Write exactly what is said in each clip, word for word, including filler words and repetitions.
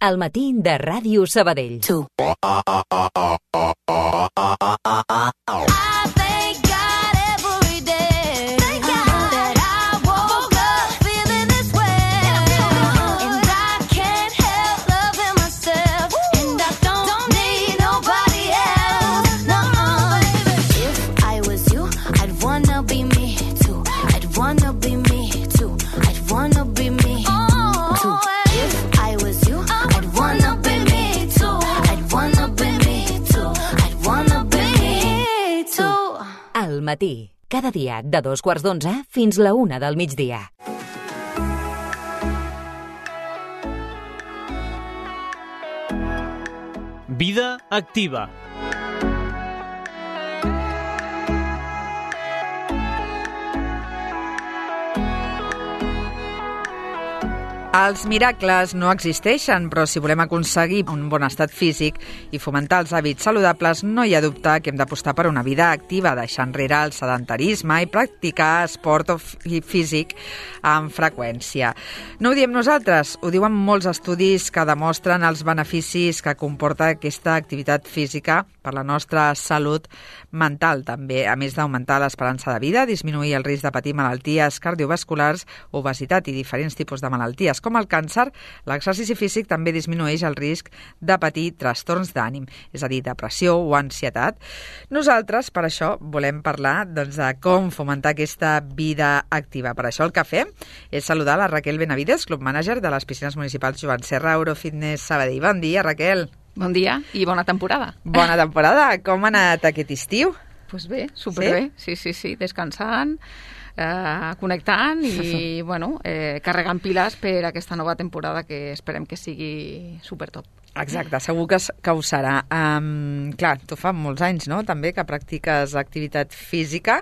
Al matí de Ràdio Sabadell. Tu. Al matí, cada dia de dos quarts d'onze fins la una del migdia. Vida activa. Els miracles no existeixen, però si volem aconseguir un bon estat físic i fomentar els hàbits saludables, no hi ha dubte que hem d'apostar per una vida activa, deixar enrere el sedentarisme i practicar esport físic amb freqüència. No ho diem nosaltres, ho diuen molts estudis que demostren els beneficis que comporta aquesta activitat física per la nostra salut mental, també, a més d'augmentar l'esperança de vida, disminuir el risc de patir malalties cardiovasculars, obesitat i diferents tipus de malalties, com el càncer. L'exercici físic també disminueix el risc de patir trastorns d'ànim, és a dir, depressió o ansietat. Nosaltres, per això, volem parlar doncs, de com fomentar aquesta vida activa. Per això el que fem és saludar la Raquel Benavides, club manager de les piscines municipals Joan Serra Eurofitness Sabadell. Bon dia, Raquel. Bon dia i bona temporada. Bona temporada. Com ha anat aquest estiu? Doncs pues bé, superbé. Sí, sí, sí, descansant, eh, connectant i bueno, eh, carregant piles per aquesta nova temporada que esperem que sigui supertop. Exacte, segur que, que ho serà. Um, clar, tu fa molts anys, no?, també que practiques activitat física.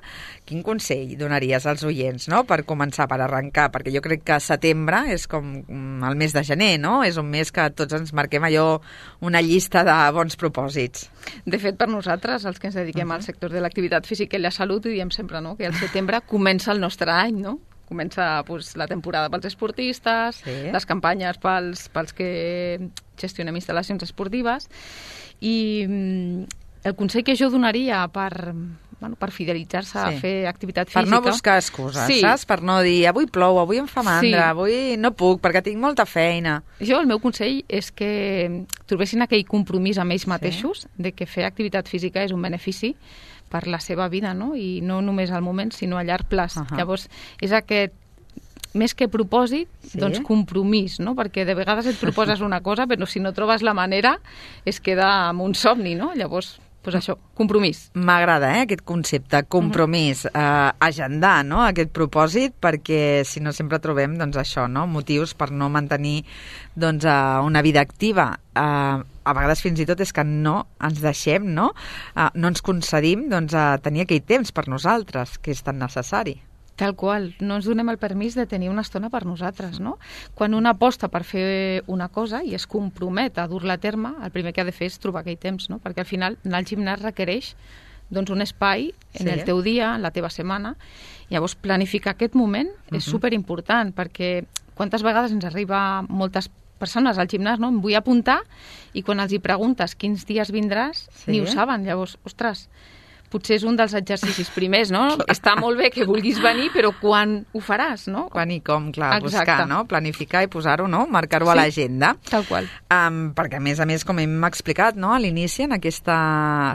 Quin consell donaries als oients, no?, per començar, per arrencar? Perquè jo crec que setembre és com el mes de gener, no? És un mes que tots ens marquem allò, una llista de bons propòsits. De fet, per nosaltres, els que ens dediquem uh-huh. al sector de l'activitat física i la salut, ho diem sempre, no?, que al setembre comença el nostre any, no? Comença pues, la temporada pels esportistes, sí. les campanyes pels, pels que gestionem instal·lacions esportives i el consell que jo donaria per, bueno, per fidelitzar-se sí. a fer activitat física... Per no buscar excuses, sí. saps? Per no dir avui plou, avui em fa mandra, sí. avui no puc perquè tinc molta feina. Jo el meu consell és que trobessin aquell compromís amb ells mateixos sí. de que fer activitat física és un benefici per la seva vida, no? I no només al moment, sinó a llarg plaç. Uh-huh. Llavors, és aquest, més que propòsit, sí. doncs compromís, no? Perquè de vegades et proposes una cosa, però si no trobes la manera, es queda amb un somni, no? Llavors, doncs això, compromís. M'agrada, eh, aquest concepte, compromís, uh-huh. eh, agendar, no?, aquest propòsit, perquè si no sempre trobem, doncs això, no?, motius per no mantenir, doncs, uh, una vida activa. Uh, a vegades fins i tot és que no ens deixem, no?, uh, no ens concedim, doncs, a tenir aquell temps per nosaltres, que és tan necessari. Tal qual, no ens donem el permís de tenir una estona per nosaltres, no? Quan una aposta per fer una cosa i es compromet a dur-la a terme, el primer que ha de fer és trobar aquell temps, no? Perquè al final anar al gimnàs requereix doncs, un espai en sí. el teu dia, en la teva setmana. Llavors, planificar aquest moment uh-huh. és superimportant, perquè quantes vegades ens arriba moltes persones al gimnàs, no? Em vull apuntar, i quan els hi preguntes quins dies vindràs, sí. ni ho saben. Llavors, ostres, potser és un dels exercicis primers, no? Està molt bé que vulguis venir, però quan ho faràs, no? Quan i com, clar, Exacte. buscar, no? Planificar i posar-ho, no? Marcar-ho sí, a l'agenda. Tal qual. Um, perquè, a més a més, com hem explicat, no?, a l'inici, en aquesta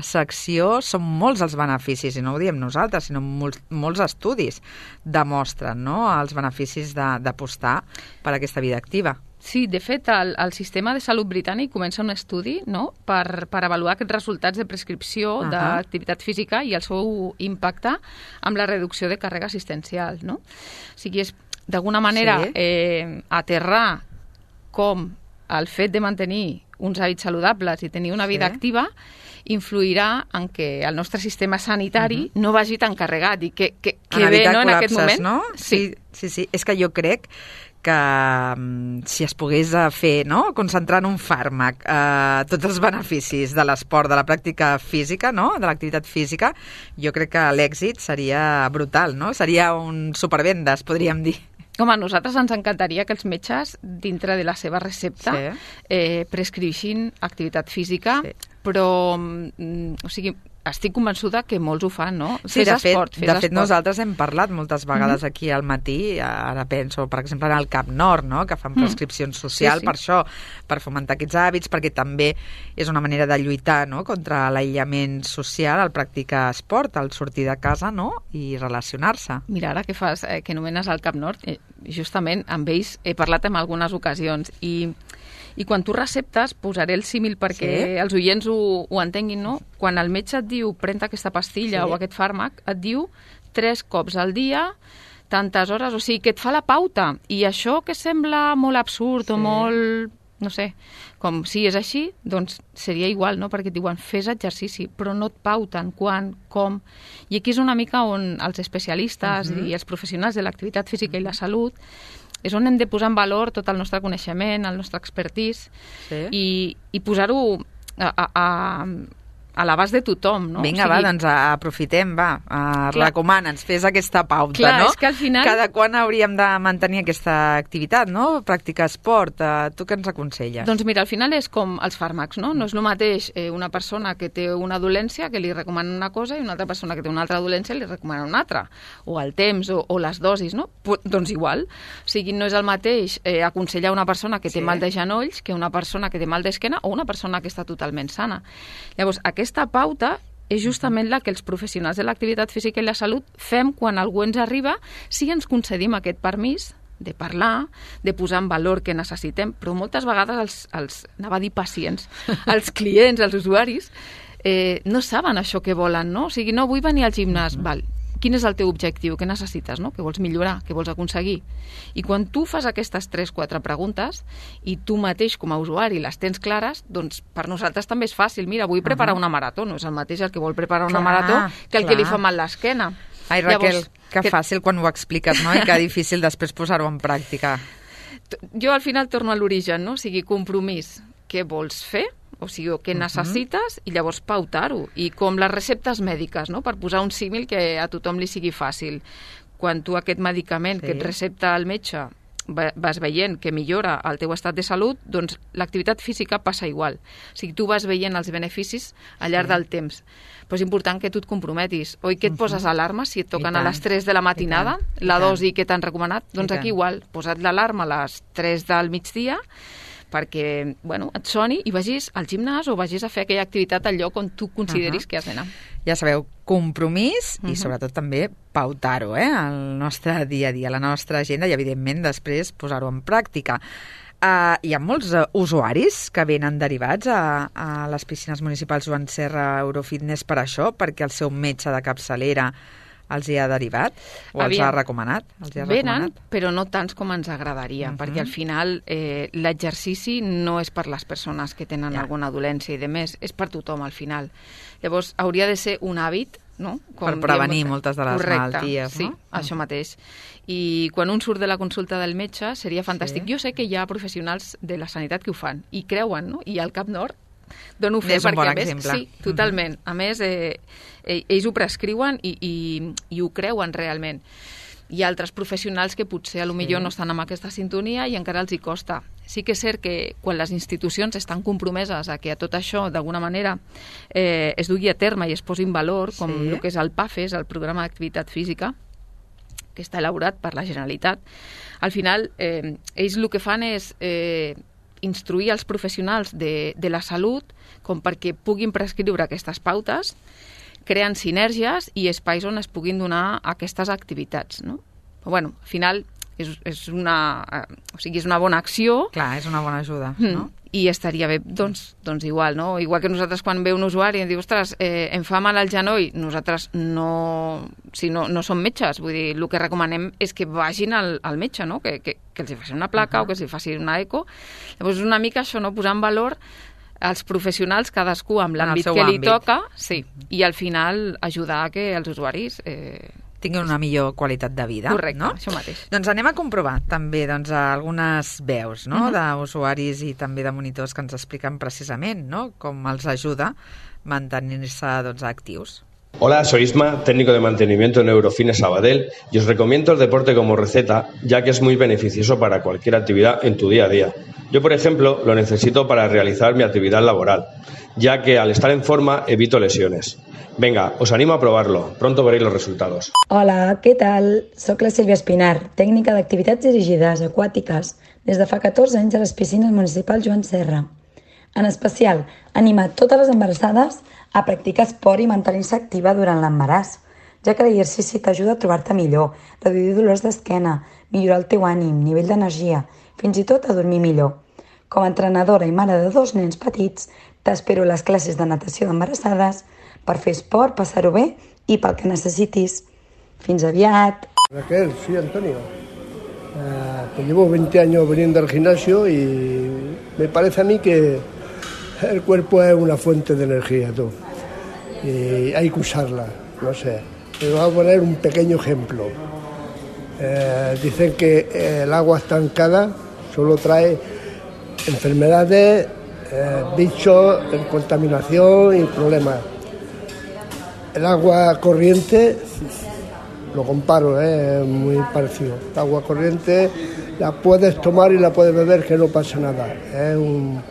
secció, són molts els beneficis, i no ho diem nosaltres, sinó molts, molts estudis demostren, no?, els beneficis d'apostar per aquesta vida activa. Sí, de fet, el, el sistema de salut britànic comença un estudi, no?, per, per avaluar aquests resultats de prescripció uh-huh. d'activitat física i el seu impacte amb la reducció de càrrega assistencial, no? O sigui, és d'alguna manera sí. eh, aterrar com el fet de mantenir uns hàbits saludables i tenir una vida sí. activa influirà en que el nostre sistema sanitari uh-huh. no vagi tan carregat i que, que, que bé, no?, en aquest moment. No? Sí. sí, sí, sí. És que jo crec que um, si es pogués fer, no?, concentrar en un fàrmac eh, tots els beneficis de l'esport, de la pràctica física, no?, de l'activitat física, jo crec que l'èxit seria brutal, no? Seria un supervendes, podríem dir. Home, a nosaltres ens encantaria que els metges, dintre de la seva recepta, sí. eh, prescrivixin activitat física, sí. però, mm, o sigui, estic convençuda que molts ho fan, no? Sí, fes de esport, fet, fes de esport. fet nosaltres hem parlat moltes vegades mm-hmm. aquí al matí, ara penso, per exemple, en el Cap Nord, no? Que fan prescripcions socials mm. sí, sí. per això, per fomentar aquests hàbits, perquè també és una manera de lluitar, no?, contra l'aïllament social, el practicar esport, el sortir de casa, no?, i relacionar-se. Mira, ara que fas, eh, que anomenes el Cap Nord, eh, justament amb ells he parlat en algunes ocasions i I quan tu receptes, posaré el símil perquè sí. els oients ho, ho entenguin, no? Quan el metge et diu pren aquesta pastilla sí. o aquest fàrmac, et diu tres cops al dia, tantes hores, o sigui, que et fa la pauta. I això que sembla molt absurd sí. o molt, no sé, com si és així, doncs seria igual, no? Perquè et diuen fes exercici, però no et pauten quan, com. I aquí és una mica on els especialistes uh-huh. i els professionals de l'activitat física uh-huh. i la salut és on hem de posar en valor tot el nostre coneixement, el nostre expertise, sí. i, i posar-ho a, a, a, a l'abast de tothom, no? Vinga, o sigui, va, doncs aprofitem, va, uh, recomana'ns, fes aquesta pauta, clar, no? És que al final... Cada quan hauríem de mantenir aquesta activitat, no? Practicar esport, uh, tu què ens aconselles? Doncs mira, al final és com els fàrmacs, no? No és el mateix eh, una persona que té una dolència que li recomana una cosa i una altra persona que té una altra dolència li recomana una altra, o el temps, o, o les dosis, no? Pues, doncs igual. O sigui, no és el mateix eh, aconsellar una persona que té sí. mal de genolls que una persona que té mal d'esquena o una persona que està totalment sana. Llavors, aquesta pauta és justament la que els professionals de l'activitat física i la salut fem quan algú ens arriba, si ens concedim aquest permís de parlar, de posar en valor què necessitem, però moltes vegades els, els anava a dir pacients, els clients, els usuaris, eh, no saben això que volen, no? O sigui, no vull venir al gimnàs, mm-hmm. val, quin és el teu objectiu, què necessites, no? Què vols millorar, què vols aconseguir? I quan tu fas aquestes tres, quatre preguntes i tu mateix com a usuari les tens clares, doncs per nosaltres també és fàcil. Mira, vull preparar una marató, no és el mateix el que vol preparar una clar, marató que el clar. que li fa mal l'esquena. Ai, Raquel, Llavors, que, que fàcil quan ho expliques, no? I que difícil després posar-ho en pràctica. Jo al final torno a l'origen, no? O sigui, compromís. Què vols fer? O sigui, què necessites uh-huh. i llavors pautar-ho. I com les receptes mèdiques, no? Per posar un símil que a tothom li sigui fàcil. Quan tu aquest medicament sí. que et recepta el metge vas veient que millora el teu estat de salut, doncs l'activitat física passa igual. O sigui, tu vas veient els beneficis al llarg sí. del temps. Però és important que tu et comprometis. Oi que et uh-huh. poses alarma si et toquen a les tres de la matinada, la dosi que t'han recomanat? Doncs aquí igual, posa't l'alarma a les tres del migdia perquè, bueno, et soni i vagis al gimnàs o vagis a fer aquella activitat al lloc on tu consideris uh-huh. que has d'anar. Ja sabeu, compromís uh-huh. i sobretot també pautar-ho, eh? El nostre dia a dia, la nostra agenda i, evidentment, després posar-ho en pràctica. Uh, hi ha molts uh, usuaris que venen derivats a, a les piscines municipals Joan Serra Eurofitness per això, perquè el seu metge de capçalera els hi ha derivat o Aviam. els ha recomanat? Els hi ha Venen, recomanat? però no tants com ens agradaria, uh-huh. perquè al final eh, l'exercici no és per les persones que tenen ja. alguna dolència i de més, és per tothom al final. Llavors, hauria de ser un hàbit, no? Com per prevenir diem, moltes de les correcte, malalties, sí, no? això mateix. I quan un surt de la consulta del metge seria fantàstic. Sí. Jo sé que hi ha professionals de la sanitat que ho fan i creuen, no? I al Cap Nord dono fe és un perquè, bon a més, exemple. sí, totalment. A més, eh, ells ho prescriuen i, i, i ho creuen realment. Hi ha altres professionals que potser a lo millor sí. no estan amb aquesta sintonia i encara els hi costa. Sí que és cert que quan les institucions estan compromeses a que a tot això, d'alguna manera, eh, es dugui a terme i es posi en valor, com sí. el que és el PAFES, el Programa d'Activitat Física, que està elaborat per la Generalitat, al final eh, ells el que fan és eh, instruir els professionals de, de la salut com perquè puguin prescriure aquestes pautes, creant sinergies i espais on es puguin donar aquestes activitats, no? Però, bueno, al final és, és, una, eh, o sigui, és una bona acció. Clar, és una bona ajuda, mm. no? I estaria bé, doncs, doncs igual, no? Igual que nosaltres quan ve un usuari i diu, ostres, eh, em fa mal al genoll, nosaltres no, si no, no som metges, vull dir, el que recomanem és que vagin al, al metge, no? Que, que, que els hi faci una placa uh-huh. o que els hi faci una eco. Llavors, una mica això, no? Posar en valor els professionals, cadascú amb l'àmbit que li àmbit. toca, sí, i al final ajudar a que els usuaris eh, tinguin una millor qualitat de vida. Correcte, no? això mateix. Doncs anem a comprovar també doncs, algunes veus, no? Uh-huh. d'usuaris i també de monitors que ens expliquen precisament, no? Com els ajuda a mantenir-se doncs, actius. Hola, soy Isma, técnico de mantenimiento en Eurofines Sabadell, y os recomiendo el deporte como receta, ya que es muy beneficioso para cualquier actividad en tu día a día. Yo, por ejemplo, lo necesito para realizar mi actividad laboral, ya que al estar en forma evito lesiones. Venga, os animo a provarlo, pronto veréis los resultados. Hola, què tal? Soc la Sílvia Espinar, tècnica d'activitats dirigides aquàtiques des de fa catorze anys a les piscines municipals Joan Serra. En especial, animar totes les embarassades a practicar esport i mantenir-se activa durant l'embaràs, ja que l'exercici t'ajuda a trobar-te millor, reduir dolors d'esquena, millorar el teu ànim, nivell d'energia, fins i tot a dormir millor. Com a entrenadora i mare de dos nens petits, t'espero a les classes de natació d'embarassades per fer esport, passar-ho bé i pel que necessitis. Fins aviat! Raquel, sí, Antonio. Uh, pues llevo veinte años viniendo al gimnasio y me parece a mí que el cuerpo es una fuente de energía, tú. Y hay que usarla, no sé. Te voy a poner un pequeño ejemplo. Eh, dicen que el agua estancada solo trae enfermedades, eh, bichos, contaminación y problemas. El agua corriente, lo comparo, eh, es muy parecido. El agua corriente la puedes tomar y la puedes beber, que no pasa nada. Es un...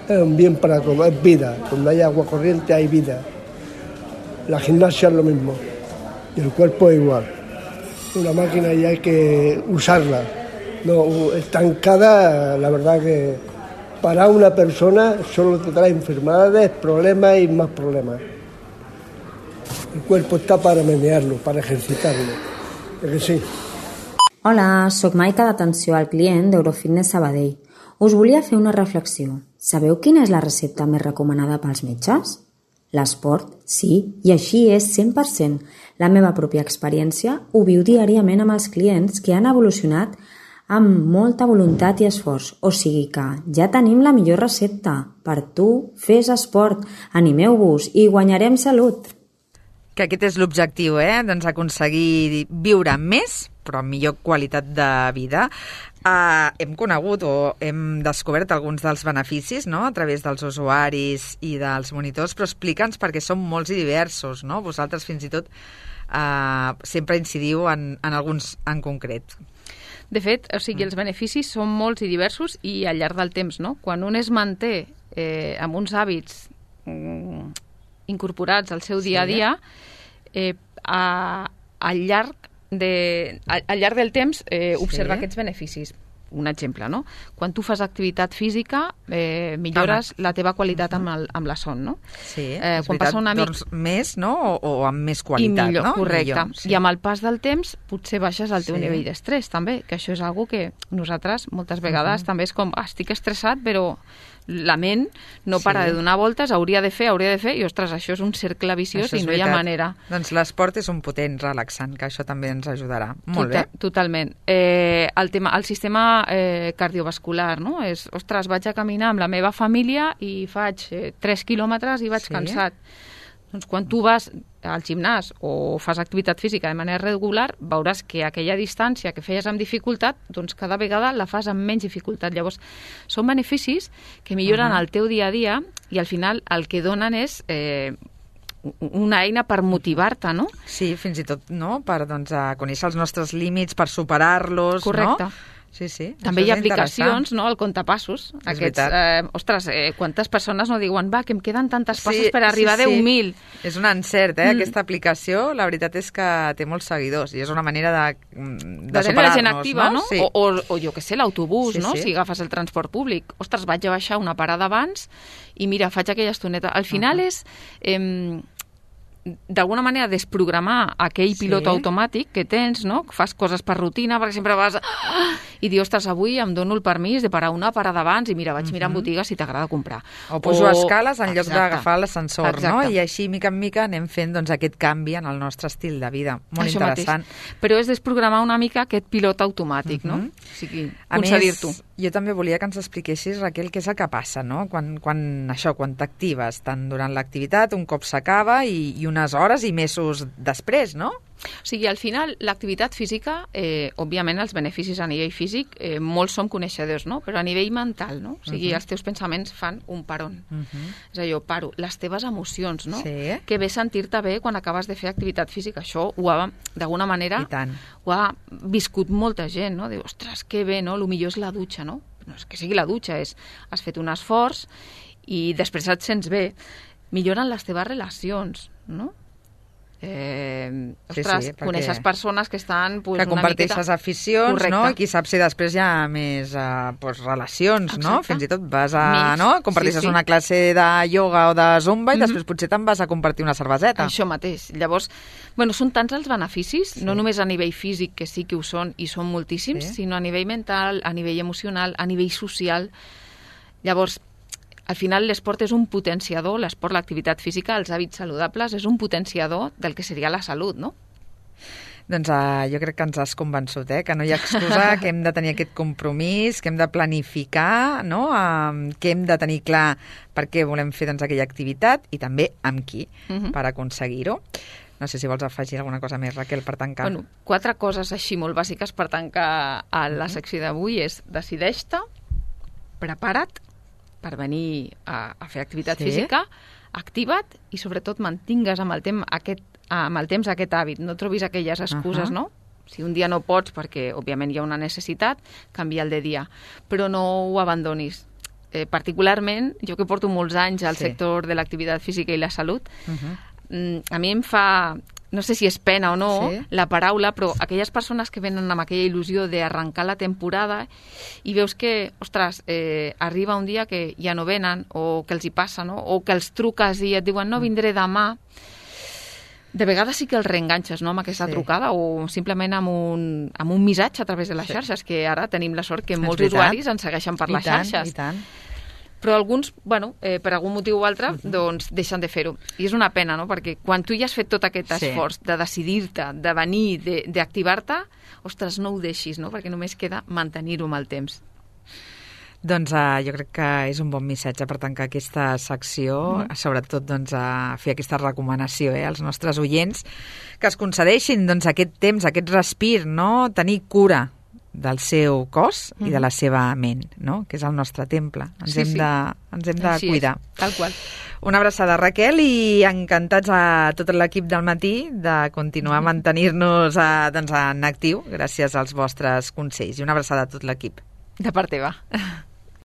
Es un bien para todo, es vida. Donde hay agua corriente hay vida. La gimnasia es lo mismo. Y el cuerpo es igual. Una máquina y hay que usarla. No, estancada, la verdad que para una persona solo te trae enfermedades, problemas y más problemas. El cuerpo está para menearlo, para ejercitarlo. ¿Es que sí? Hola, soc Maica d'atenció al client d'Eurofitness Sabadell. Us volia fer una reflexió. Sabeu quina és la recepta més recomanada pels metges? L'esport, sí, i així és cent per cent. La meva pròpia experiència ho viu diàriament amb els clients que han evolucionat amb molta voluntat i esforç. O sigui que ja tenim la millor recepta. Per tu, fes esport, animeu-vos i guanyarem salut. Que aquest és l'objectiu, eh? Doncs aconseguir viure més, però amb millor qualitat de vida. Uh, hem conegut o hem descobert alguns dels beneficis, no?, a través dels usuaris i dels monitors, però explica'ns perquè són molts i diversos, no? Vosaltres fins i tot uh, sempre incidiu en, en alguns en concret. De fet, o sigui, els beneficis són molts i diversos i al llarg del temps, no? Quan un es manté eh, amb uns hàbits mm, incorporats al seu dia a dia, eh, a, al llarg De, al, al llarg del temps eh, observa sí. aquests beneficis. Un exemple, no? Quan tu fas activitat física eh, millores Calma. la teva qualitat amb, el, amb la son, no? Sí, eh, és quan veritat, una mic... dorms més, no? O, o amb més qualitat, I millor, no? correcte. Millor, sí. I amb el pas del temps potser baixes el teu sí. nivell d'estrès, també, que això és algo que nosaltres moltes vegades uh -huh. també és com, ah, estic estressat, però la ment no sí. para de donar voltes, hauria de fer, hauria de fer, i ostres, això és un cercle viciós i no veritat. hi ha manera. Doncs l'esport és un potent relaxant, que això també ens ajudarà. Molt Total, bé. Totalment. Eh, el, tema, el sistema eh, cardiovascular, no? És, ostres, vaig a caminar amb la meva família i faig eh, tres quilòmetres i vaig sí. cansat. Doncs quan tu vas al gimnàs o fas activitat física de manera regular, veuràs que aquella distància que feies amb dificultat, doncs cada vegada la fas amb menys dificultat. Llavors, són beneficis que milloren uh -huh. el teu dia a dia i al final el que donen és eh, una eina per motivar-te, no? Sí, fins i tot, no?, per doncs, a conèixer els nostres límits, per superar-los, Correcte. no? Sí, sí. També hi ha aplicacions, no?, el comptapassos. Aquests, eh, ostres, eh, quantes persones no diuen, va, que em queden tantes passes sí, per arribar sí, sí. a deu mil. És un encert, eh, mm. aquesta aplicació. La veritat és que té molts seguidors i és una manera de, de, de superar-nos, la gent activa, no? no? Sí. O, o, o jo què sé, l'autobús, sí, no? Sí. Si agafes el transport públic. Ostres, vaig a baixar una parada abans i mira, faig aquella estoneta. Al final uh -huh. és... Eh, d'alguna manera desprogramar aquell sí. pilot automàtic que tens, no? Fas coses per rutina, perquè sempre vas ah! i dius, ostres, avui em dono el permís de parar una parada abans i mira, vaig uh-huh. mirar en botigues si t'agrada comprar. O pujo o... escales en lloc d'agafar l'ascensor, no? I així, mica en mica, anem fent doncs, aquest canvi en el nostre estil de vida. Molt Això interessant. Mateix. Però és desprogramar una mica aquest pilot automàtic, uh-huh. no? O sigui, concedir-t'ho. Jo també volia que ens expliquessis, Raquel, què és el que passa, no? Quan, quan això, quan t'actives, tant durant l'activitat, un cop s'acaba i, i unes hores i mesos després, no? O sigui, al final, l'activitat física, eh, òbviament, els beneficis a nivell físic, eh, molts som coneixedors, no? Però a nivell mental, no? O sigui, uh -huh. els teus pensaments fan un paron. Uh -huh. És allò, paro. Les teves emocions, no? Sí. Que bé sentir-te bé quan acabes de fer activitat física. Això ho ha, d'alguna manera, ho ha viscut molta gent, no? Diu, ostres, que bé, no? El millor és la dutxa, no? No és que sigui la dutxa, és has fet un esforç i després et sents bé. Milloren les teves relacions, no? Eh, ostres, sí, sí, coneixes persones que estan pues, que comparteixes miqueta... aficions, Correcte. no? I qui sap si després hi ha més uh, pues, relacions, Exacte. no? Fins i tot vas a... Mix. no? Comparteixes sí, sí. una classe de ioga o de zumba i Mm-hmm. després potser te'n vas a compartir una cerveseta. Això mateix. Llavors, bueno, són tants els beneficis, Sí. no només a nivell físic, que sí que ho són, i són moltíssims, Sí. sinó a nivell mental, a nivell emocional, a nivell social. Llavors, al final l'esport és un potenciador, l'esport, l'activitat física, els hàbits saludables, és un potenciador del que seria la salut, no? Doncs uh, jo crec que ens has convençut, eh? Que no hi ha excusa, que hem de tenir aquest compromís, que hem de planificar, no? Uh, que hem de tenir clar per què volem fer doncs, aquella activitat i també amb qui Uh-huh. per aconseguir-ho. No sé si vols afegir alguna cosa més, Raquel, per tancar. Bueno, quatre coses així molt bàsiques per tancar a la secció d'avui és decideix-te, prepara't per venir a, a fer activitat Sí. física, activa't i sobretot mantingues amb el, temps aquest, amb el temps aquest hàbit. No trobis aquelles excuses, Uh-huh. no? Si un dia no pots, perquè òbviament hi ha una necessitat, canvia el de dia. Però no ho abandonis. Eh, particularment, jo que porto molts anys al Sí. sector de l'activitat física i la salut, Uh-huh. mm, a mi em fa... no sé si és pena o no, Sí. la paraula, però aquelles persones que venen amb aquella il·lusió d'arrencar la temporada i veus que, ostres, eh, arriba un dia que ja no venen, o que els hi passa, no? O que els truques i et diuen no, vindré demà. De vegades sí que els reenganxes, no?, amb aquesta Sí. trucada o simplement amb un, amb un missatge a través de les Sí. xarxes, que ara tenim la sort que És molts veritat. usuaris ens segueixen per I les tant, xarxes. I tant. Però alguns, bueno, eh, per algun motiu o altre, doncs deixen de fer-ho. I és una pena, no?, perquè quan tu ja has fet tot aquest Sí. esforç de decidir-te, de venir, de- d'activar-te, ostres, no ho deixis, no?, perquè només queda mantenir-ho amb el temps. Doncs uh, jo crec que és un bon missatge per tancar aquesta secció, mm. sobretot doncs, a fer aquesta recomanació eh, als nostres oients, que es concedeixin doncs, aquest temps, aquest respir, no? Tenir cura del seu cos mm. i de la seva ment, no? Que és el nostre temple. Ens Sí, hem sí. de, ens hem de Així cuidar. és, tal qual. Una abraçada, Raquel, i encantats a tot l'equip del matí de continuar a mantenir-nos a, doncs, en actiu gràcies als vostres consells. I una abraçada a tot l'equip. De part teva.